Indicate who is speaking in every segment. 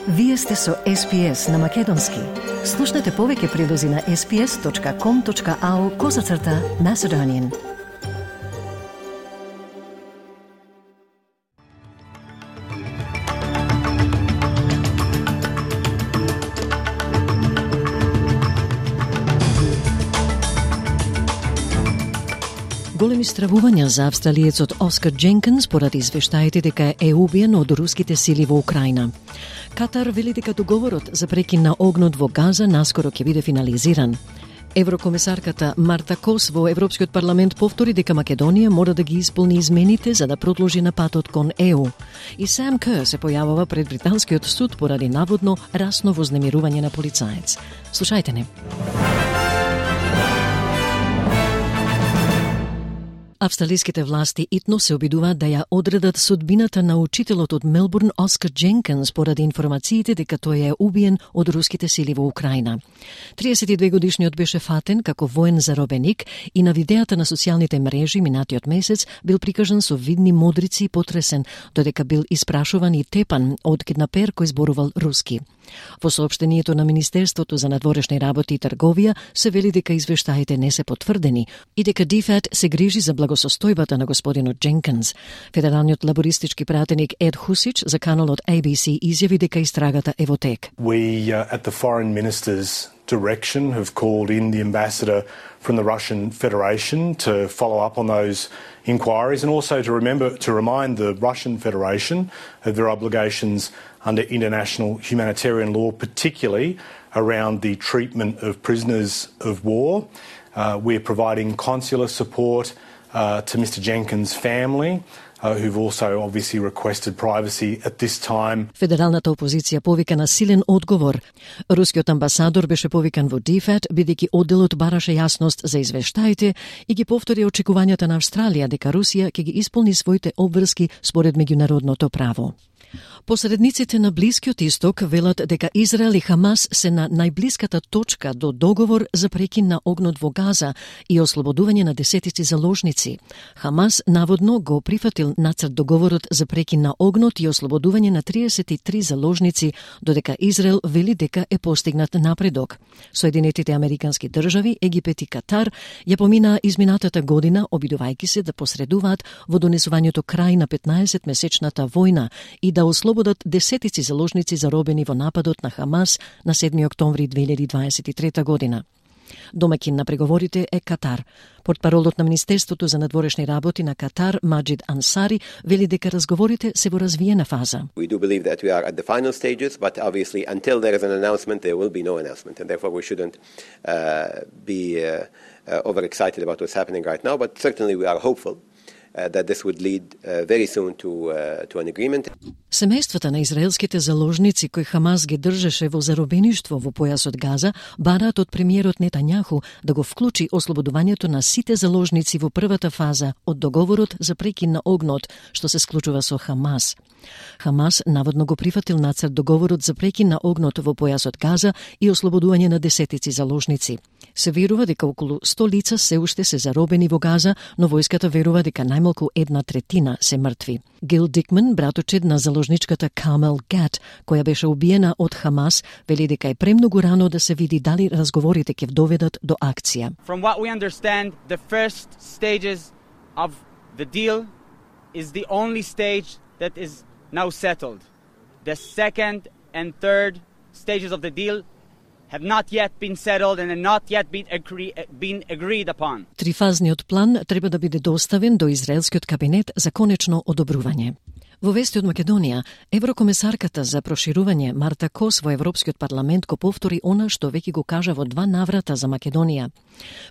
Speaker 1: Вие сте со SPS на Македонски. Слушнете повеќе прилози на sps.com.au/Macedonian. Големи стравувања за австралиецот Оскар Дженкинс поради извештаите дека е убиен од руските сили во Украина. Катар вели дека договорот за прекин на огнот во Газа наскоро ќе биде финализиран. Еврокомисарката Марта Кос во Европскиот парламент повтори дека Македонија мора да ги исполни измените за да продолжи на патот кон ЕУ. И Сам Кер се појавува пред британскиот суд поради наводно расно вознемирување на полицаец. Слушајте не. Австралиските власти итно се обидуваат да ја одредат судбината на учителот од Мелбурн Оскар Дженкинс поради информациите дека тој е убиен од руските сили во Украина. 32-годишниот беше фатен како воен заробеник и на видеата на социјалните мрежи минатиот месец бил прикажан со видни модрици и потресен, додека бил испрашуван и тепан од киднапер кој зборувал руски. Во соопштението на Министерството за надворешни работи и трговија се вели дека извештаите не се потврдени и дека ДФАТ се грижи за благосостојбата на господинот Дженкинс. Федералниот лабористички пратеник Ед Хусич за каналот ABC изјави дека истрагата е во тек.
Speaker 2: We at the foreign minister's direction have called in the ambassador from the Russian Federation to follow up on those inquiries and also to remind the Russian Federation of their obligations under international humanitarian law, particularly around the treatment of prisoners of war. We're providing consular support to Mr. Jenkins' family, who've also obviously requested privacy at this time.
Speaker 1: Федералната опозиција повика на силен одговор. Рускиот амбасадор беше повикан во ДФАТ, бидејќи одделот бараше јасност за извештаите и ги повтори очекувањата на Австралија дека Русија ќе ги исполни своите обврски според меѓународното право. Посредниците на Блискиот Исток велат дека Израел и Хамас се на најблиската точка до договор за прекин на огнот во Газа и ослободување на десетици заложници. Хамас наводно го прифатил нацрт договорот за прекин на огнот и ослободување на 33 заложници, додека Израел вели дека е постигнат напредок. Соединетите американски држави, Египет и Катар ја поминаа изминатата година обидувајќи се да посредуваат во донесувањето крај на 15-месечната војна и да ослободат десетици заложници заробени во нападот на Хамас на 7 октомври 2023 година. Домаќин на преговорите е Катар. Портпаролот на Министерството за надворешни работи на Катар, Маджид Ансари, вели дека разговорите се во развиена фаза.
Speaker 3: We do believe that we are at the final stages, but obviously until there is an announcement, there will be no announcement, and therefore we shouldn't be overexcited about what's happening right now, but certainly we are hopeful that this would lead very soon to an agreement.
Speaker 1: Семејствата на израелските заложници кои Хамас ги држеше во заробеништво во појасот Газа бараат од премиерот Нетањаху да го вклучи ослободувањето на сите заложници во првата фаза од договорот за прекин на огнот што се склучува со Хамас. Хамас наводно го прифатил нацрт договорот за прекин на огнот во појасот Газа и ослободување на десетици заложници. Се верува дека околу 100 лица се уште се заробени во Газа, но војската верува дека најмалку 1/3 се мртви. Гил Дикман, браточед на заложничката Камел Гат, која беше убиена од Хамас, вели дека е премногу рано да се види дали разговорите ќе доведат до акција.
Speaker 4: From what we understand, the first stages of the deal is the only stage that is now settled. The second and third stages of the deal have not yet been settled and have not yet been agreed upon.
Speaker 1: Трифазниот план треба да биде доставен до израелскиот кабинет за конечно одобрување. Во вести од Македонија, еврокомисарката за проширување Марта Кос во Европскиот парламент го повтори она што веќе го кажа во 2 наврата за Македонија.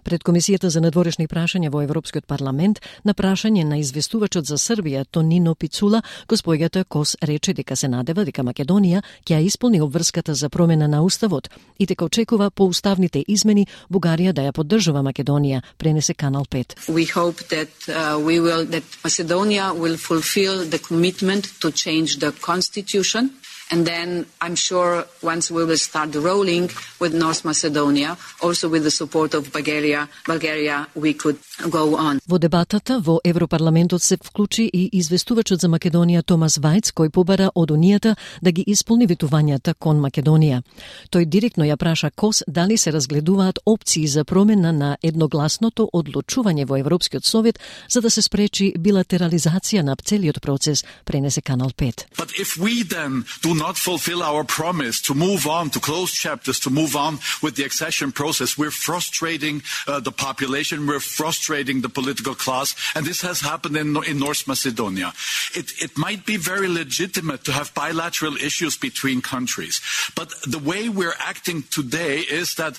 Speaker 1: Пред Комисијата за надворешни прашања во Европскиот парламент, на прашање на известувачот за Србија Тонино Пицула, госпоѓата Кос рече дека се надева дека Македонија ќе ја исполни обврската за промена на уставот и дека очекува по уставните измени Бугарија да ја поддржува Македонија, пренесе Канал 5.
Speaker 5: We hope that that Macedonia will fulfill the commitment to change the constitution And then I'm sure once we will start rolling with North Macedonia, also with the support of Bulgaria, we could go on.
Speaker 1: Во дебатата во Европарламентот се вклучи и известувачот за Македонија Томас Вајц, кој побара од Унијата да ги исполни ветувањата кон Македонија. Тој директно ја праша КОС дали се разгледуваат опции за промена на едногласното одлучување во Европскиот совет за да се спречи билатерализација на целиот процес, пренесе Канал 5.
Speaker 6: But if we then do not fulfill our promise to move on, to close chapters, to move on with the accession process, we're frustrating the population, we're frustrating the political class, and this has happened in North Macedonia. It might be very legitimate to have bilateral issues between countries, but the way we're acting today is that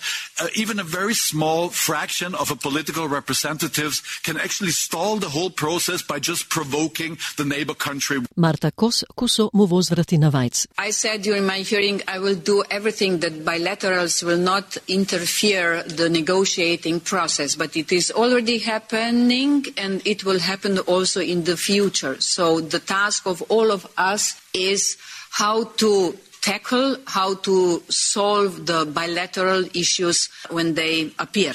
Speaker 6: even a very small fraction of a political representatives can actually stall the whole process by just provoking the neighbor country.
Speaker 1: Марта Кос кусо му возврати на Вајц.
Speaker 5: I said during my hearing I will do everything that bilaterals will not interfere the negotiating process, but it is already happening and it will happen also in the future. So the task of all of us is how to tackle, how to solve the bilateral issues when they appear.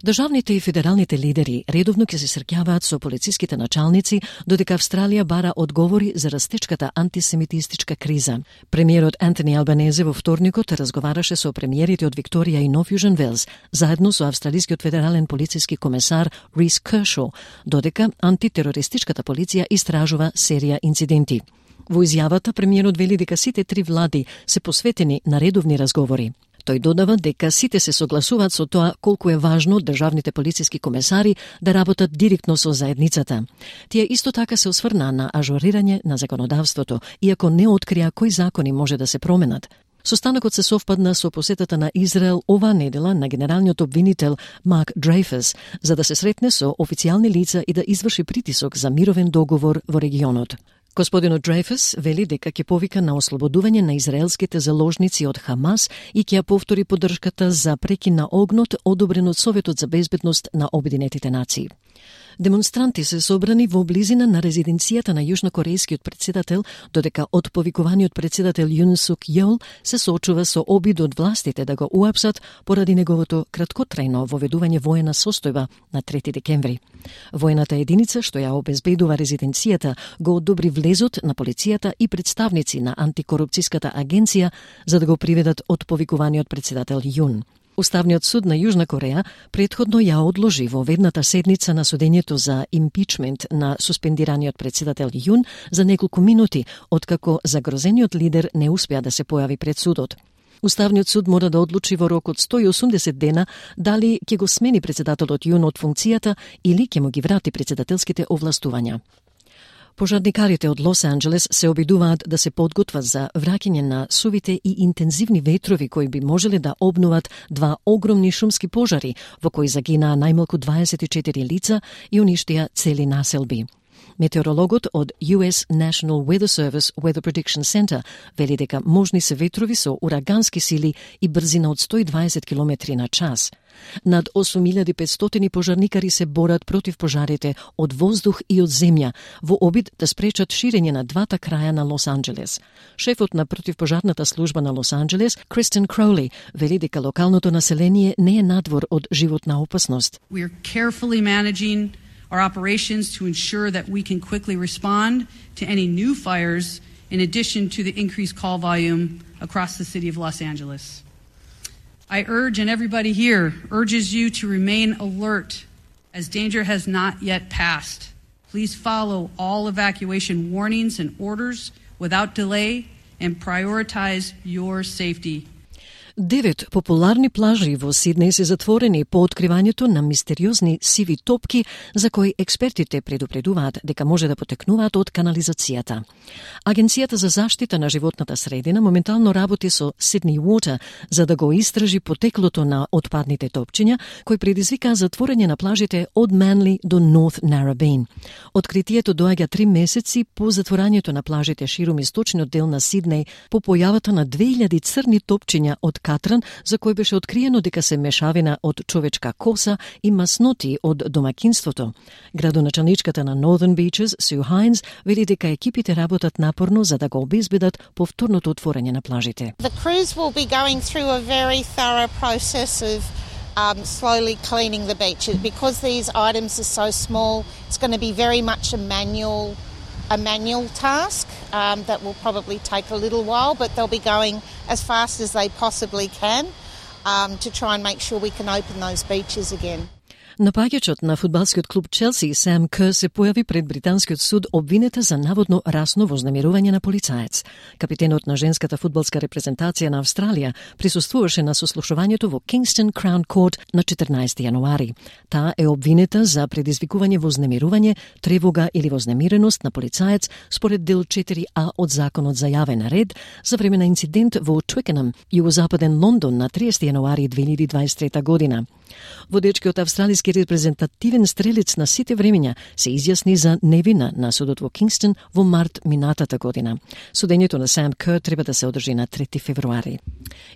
Speaker 1: Државните и федералните лидери редовно ќе се среќаваат со полициските началници, додека Австралија бара одговори за растечката антисемитистичка криза. Премиерот Антони Албанезе во вторникот разговараше со премиерите од Викторија и Нов Јужен Велс, заедно со австралискиот федерален полициски комесар Рис Кершо, додека антитерористичката полиција истражува серија инциденти. Во изјавата премиерот вели дека сите три влади се посветени на редовни разговори. Тој додава дека сите се согласуваат со тоа колку е важно државните полициски комесари да работат директно со заедницата. Тие исто така се осврнаа на ажурирање на законодавството, иако не открија кои закони може да се променат. Состанокот се совпадна со посетата на Израел оваа недела на генералниот обвинител Марк Дрейфус за да се сретне со официјални лица и да изврши притисок за мировен договор во регионот. Господинот Дрейфус вели дека ќе повика на ослободување на израелските заложници од Хамас и ќе ја повтори поддршката за прекин на огнот одобрен од Советот за безбедност на Обединетите нации. Демонстранти се собрани во близина на резиденцијата на јужнокорејскиот претседател, додека отповикуваниот претседател Јун Сук Јол се соочува со обид од властите да го уапсат поради неговото краткотрајно воведување воена состојба на 3 декември. Воената единица што ја обезбедува резиденцијата го одобри влезот на полицијата и представници на антикорупцијската агенција за да го приведат отповикуваниот претседател Јун. Уставниот суд на Јужна Кореја претходно ја одложи во ведната седница на судењето за импичмент на суспендираниот претседател Јун за неколку минути, откако загрозениот лидер не успеа да се појави пред судот. Уставниот суд мора да одлучи во рок од 180 дена дали ќе го смени претседателот Јун од функцијата или ќе му ги врати претседателските овластувања. Пожарникарите од Лос Анџелес се обидуваат да се подготват за враќање на сувите и интензивни ветрови кои би можеле да обнуват два огромни шумски пожари во кои загинаа најмалку 24 лица и уништија цели населби. Метеорологот од US National Weather Service Weather Prediction Center вели дека можни се ветрови со урагански сили и брзина од 120 км на час. Над 8500 пожарникари се борат против пожарите од воздух и од земја во обид да спречат ширење на двата краја на Лос Анџелес. Шефот на противпожарната служба на Лос Анџелес, Кристен Кроули, вели дека локалното население не е надвор од животна опасност.
Speaker 7: We are carefully managing our operations to ensure that we can quickly respond to any new fires in addition to the increased call volume across the city of Los Angeles. I urge, and everybody here urges you to remain alert as danger has not yet passed. Please follow all evacuation warnings and orders without delay and prioritize your safety.
Speaker 1: 9 популарни плажи во Сиднеј се затворени по откривањето на мистериозни сиви топки за кои експертите предупредуваат дека може да потекнуваат од канализацијата. Агенцијата за заштита на животната средина моментално работи со Sydney Water за да го истражи потеклото на отпадните топчиња кои предизвикаа затворање на плажите од Манли до North Narrabeen. Откритието доаѓа 3 месеци по затворањето на плажите ширум источниот дел на Сиднеј по појавата на 2000 црни топчиња од катран за кој беше откриено дека се мешавина од човечка коса и масноти од домакинството. Градоначалничката на Northern Beaches, Су Хайнс, вели дека екипите работат напорно за да го обезбедат повторното отворање на плажите.
Speaker 8: The crews will be going through a very thorough process of slowly cleaning the beach. Because these items are so small, it's going to be very much a manual task that will probably take a little while, but they'll be going as fast as they possibly can to try and make sure we can open those beaches again.
Speaker 1: Напаѓачот на фудбалскиот клуб Челси, Сам Кер, се појави пред британскиот суд обвинета за наводно расно вознемирување на полицаец. Капитенот на женската фудбалска репрезентација на Австралија присуствуваше на сослушувањето во Kingston Crown Court на 14 јануари. Таа е обвинета за предизвикување вознемирување, тревога или вознемиреност на полицаец според дел 4А од Законот за јавен ред за време на инцидент во Twickenham, југозападен Лондон на 30 јануари 2023 година. Водечкиот австралиски репрезентативен стрелец на сите времења се изјасни за невина на судот во Кингстон во март минатата година. Судењето на Сам Кер треба да се одржи на 3 февруари.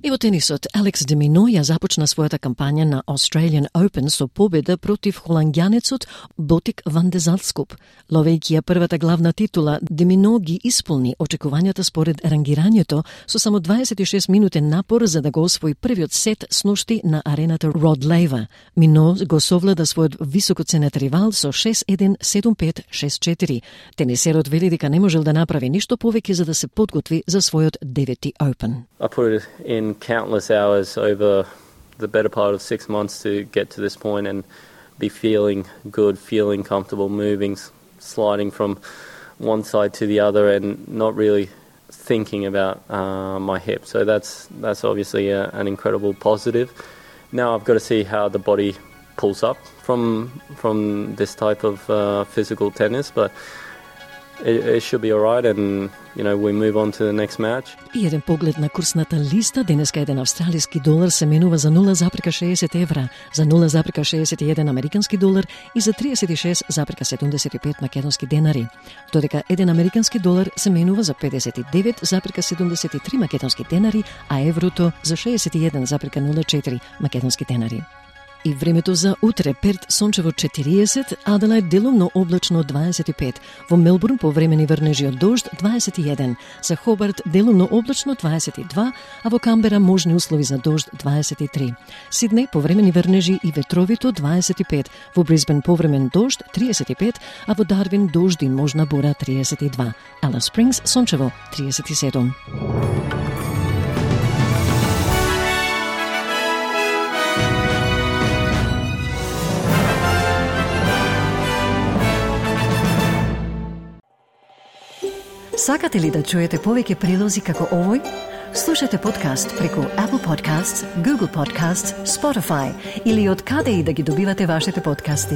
Speaker 1: И во тенисот, Алекс де Мино ја започна својата кампања на Australian Open со победа против холанѓанецот Ботик ван де Залскуп. Ловејќи ја првата главна титула, де Мино ги исполни очекувањата според рангирањето со само 26 минутен напор за да го освои првиот сет сношти на арената Род Лейва. Мино го совлада својот високоценет ривал со 6-1, 7-5, 6-4. Тенисерот вели дека не можел да направи ништо повеќе за да се подготви за својот 9-ти Open.
Speaker 9: I put it in countless hours over the better part of 6 months to get to this point and be feeling good, feeling comfortable, moving, sliding from one side to the other and not really thinking about my hip. So that's obviously an incredible positive. Now I've got to see how the body pulls up from this type of physical tennis, but it should be all right, and we move on to the next match.
Speaker 1: И еден поглед на курсната листа, денеска еден австралиски долар се менува за 0,60 евра, за 0,61 американски долар и за 36,75 македонски денари. Додека еден американски долар се менува за 59,73 македонски денари, а еврото за 61,04 македонски денари. И времето за утре: Перт сончево 40, Аделајд делумно облачно 25, во Мелбурн повремени врнежи од дожд 21, за Хобарт делумно облачно 22, а во Камбера можни услови за дожд 23. Сиднеј повремени врнежи и ветровито 25, во Брисбен повремен дожд 35, а во Дарвин дожд и можна бура 32. Алис Спрингс сончево 37. Сакате ли да чуете повеќе прилози како овој? Слушате подкаст преку Apple Podcasts, Google Podcasts, Spotify или од каде и да ги добивате вашите подкасти.